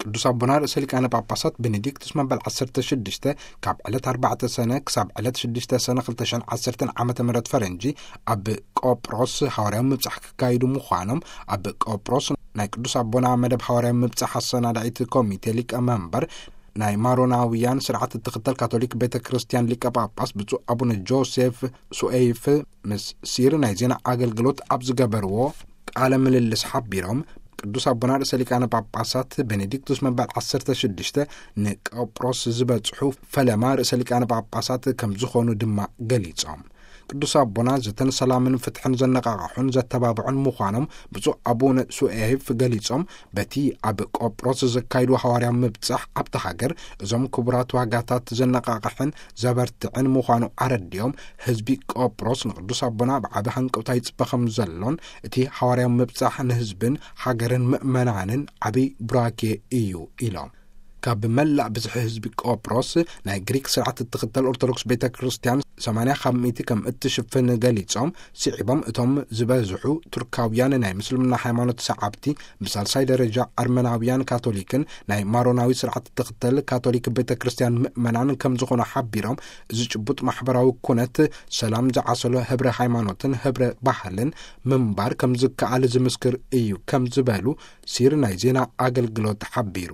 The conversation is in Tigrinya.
ቅዱስ ኣቦና ርእሰ ሊቃነ ጳጳሳት ቤኔዲክቱስ መበል ዓሰርተ ሽዱሽተ ካብ ዕለት ኣርባዕተ ሰነ ክሳብ ዕለት ሽዱሽተ ሰነ ክልተ ሽሕን ዓሰርተን ዓመተ ምህረት ፈረንጂ ኣብ ቆጵሮስ ሃዋርያዊ ምብጻሕ ክካይዱ ምዃኖም፣ ኣብ ቆጵሮስ ናይ ቅዱስ ኣቦና መደብ ሃዋርያዊ ምብጻሕ ኣሰናዳኢት ኮሚቴ ሊቀ መንበር ናይ ማሮናውያን ስርዓት እትኽተል ካቶሊክ ቤተ ክርስቲያን ሊቀ ጳጳስ ብፁዕ ኣቡነ ጆሴፍ ሱኤይፍ ምስ ሲር ናይ ዜና ኣገልግሎት ኣብ ዝገበርዎ ቃለ ምልልስ ሓቢሮም፣ ቅዱስ ኣቦና ርእሰ ሊቃነ ጳጳሳት ቤኔዲክቱስ መበል ዓሰርተ ሽዱሽተ ንቆጵሮስ ዝበጽሑ ፈለማ ርእሰ ሊቃነ ጳጳሳት ከም ዝኾኑ ድማ ገሊጾም። ቅዱስ ኣቦና ዘተን ሰላምን ፍትሕን ዘነቃቕሑን ዘተባብዑን ምዃኖም ብፁዕ ኣቡነ ሱኤፍ ገሊጾም፣ በቲ ኣብ ቆጵሮስ ዘካይዱ ሃዋርያዊ ምብጻሕ ኣብቲ ሃገር እዞም ክቡራት ዋጋታት ዘነቃቕሕን ዘበርትዕን ምዃኑ ኣረዲኦም፣ ህዝቢ ቆጵሮስ ንቅዱስ ኣቦና ብዓቢ ሃንቀውታ ይጽበ ከም ዘሎን እቲ ሃዋርያዊ ምብጻሕ ንህዝብን ሃገርን ምእመናንን ዓቢ ቡራኬ እዩ ኢሎም። ካብ መላእ ብዝሒ ህዝቢ ቆጵሮስ ናይ ግሪክ ስርዓት እትኽተል ኦርቶዶክስ ቤተ ክርስቲያን ሰማንያ ካብ ሚእቲ ከም እትሽፍን ገሊጾም፣ ስዒቦም እቶም ዝበዝሑ ቱርካውያን ናይ ምስልምና ሃይማኖት ሰዓብቲ፣ ብሳልሳይ ደረጃ ኣርመናውያን ካቶሊክን ናይ ማሮናዊ ስርዓት እትኽተል ካቶሊክ ቤተ ክርስቲያን ምእመናን ከም ዝኾኑ ሓቢሮም፣ እዚ ጭቡጥ ማሕበራዊ ኩነት ሰላም ዝዓሰሎ ህብረ ሃይማኖትን ህብረ ባህልን ምንባር ከም ዝከኣል ዝምስክር እዩ ከም ዝበሉ ሲር ናይ ዜና ኣገልግሎት ሓቢሩ።